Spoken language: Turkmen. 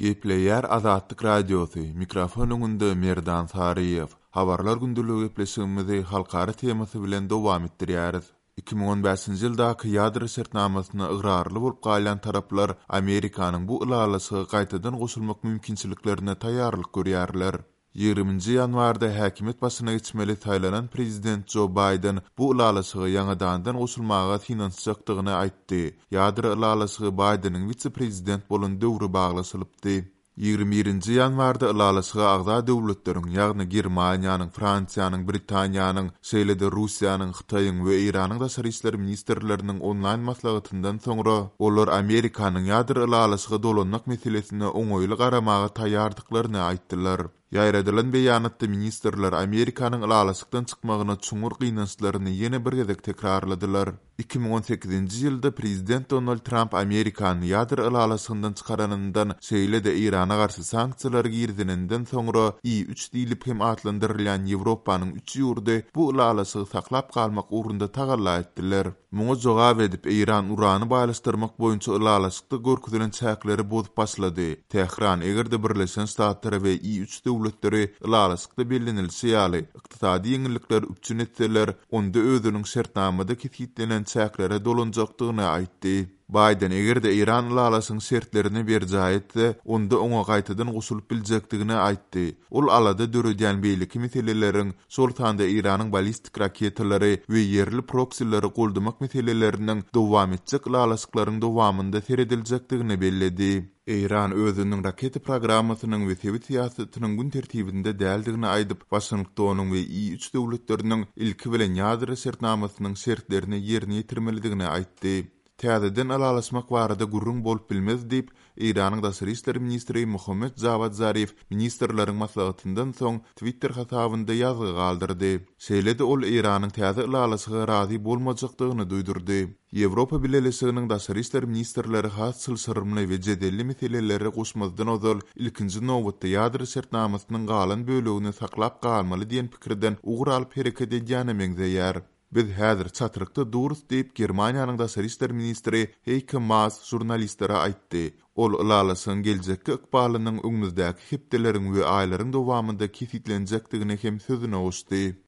Gepleýär Azatlyk Radiosy, mikrofon öňünde Merdan Saryýew. Habarlar gündeligi gepleşigimizi halkara temasy bilen dowam etdirýäris. 2015-nji ýyldaky ýadro şertnamasyna ygrarly bolup galýan taraplar Amerikanyň bu ylalaşyga gaýtadan goşulmak mümkinçiliklerine taýýarlyk görýärler. Ýigriminji ýanwarda häkimiýet başyna geçmeli saýlanan prezident Jo Baýden bu ylalaşyga ýaňadandan goşulmaga synanyşjakdygyny aýtdy. Ýadro ylalaşygy Baýdeniň wise-prezident bolan döwri baglaşylypdy. Ýigrimi birinji ýanwarda ylalaşyga agza döwletleriň, ýagny Germaniýanyň, Fransiýanyň, Britaniýanyň, şeýle-de Russiýanyň, Hytaýyň we Eýranyň daşary işler ministrleriniň onlaýn maslahatyndan soňra, olar Amerikanyň ýadro ylalaşyga dolanmak meselesine oňaýly garamaga taýýardyklaryny aýtdylar. Ýaýradylan beýanatda ministrler Amerikanyň ylalaşykdan çykmagyna çuňňur gynançlaryny ýene bir gezek tekrarladylar. 2018-nji ýylda prezident Donald Tramp Amerikany ýadro ylalaşygyndan çykaranyndan, şeýle-de Eýrana garşy sanksiýalary girizeninden soňra I-üç diýlip hem atlandyrylýan Ýewropanyň üç ýurdy bu ylalaşygy saklap galmak ugrunda tagalla etdiler. Muňa jogap edip, Eýran urany baýlaşdyrmak boýunça ylalaşykda görkezilen çäkleri bozup başlady. Tähran, eger-de Birleşen Ştatlary we I-üç döwletleri ylalaşykda bellenilişi ýaly, ykdysady ýeňillikleri üpjün etseler, onda özüniň şertnamada kesgitlenen çäklere dolanjakdygyny aýtdy. Baýden eger-de Eýran ylalaşygyň şertlerini berjaý etse, onda oňa gaýtadan goşulyp biljekdigini aýtdy. Ol alada döredýän beýleki meseleleriň, şol sanda Eýranyň ballistik raketalary we ýerli proksileri goldamak meseleleriniň dowam etjek ylalaşyklaryň dowamynda serediljekdigini belledi. Eýran özüniň raketa programmasynyň we sebit syýasatynyň gün tertibinde däldigini aýdyp, Waşingtonyň we I-üç döwletleriniň ilki bilen ýadro şertnamasynyň şertlerini ýerine ýetirmelidigini aýtdy. Täzeden ylalaşmak barada gürrüň bolup bilmez diýip, Eýranyň daşary işler ministri Mohammed Jawad Zarif ministrleriň maslahatyndan soň Twitter hasabynda ýazgy galdyrdy. Şeýle-de ol Eýranyň täze ylalaşyga razy bolmajakdygyny duýdurdy. Ýewropa Bileleşiginiň daşary işler ministrleri has çylşyrymly we jedelli meseleleri goşmazdan ozal, ilkinji nobatda ýadro şertnamasynyň galan bölegini saklap galmaly diýen pikirden ugur alyp hereket edýäne meňzeýär. Biz häzir çatrykda durus diýip, Germaniýanyň daşary işler ministri Heike Maas žurnalistlere aýtdy. Ol ylalaşygyň geljekki ykbalynyň öňümizdäki hepdeleriň we aýlaryň dowamynda kesgitlenjekdigini hem sözüne goşdy.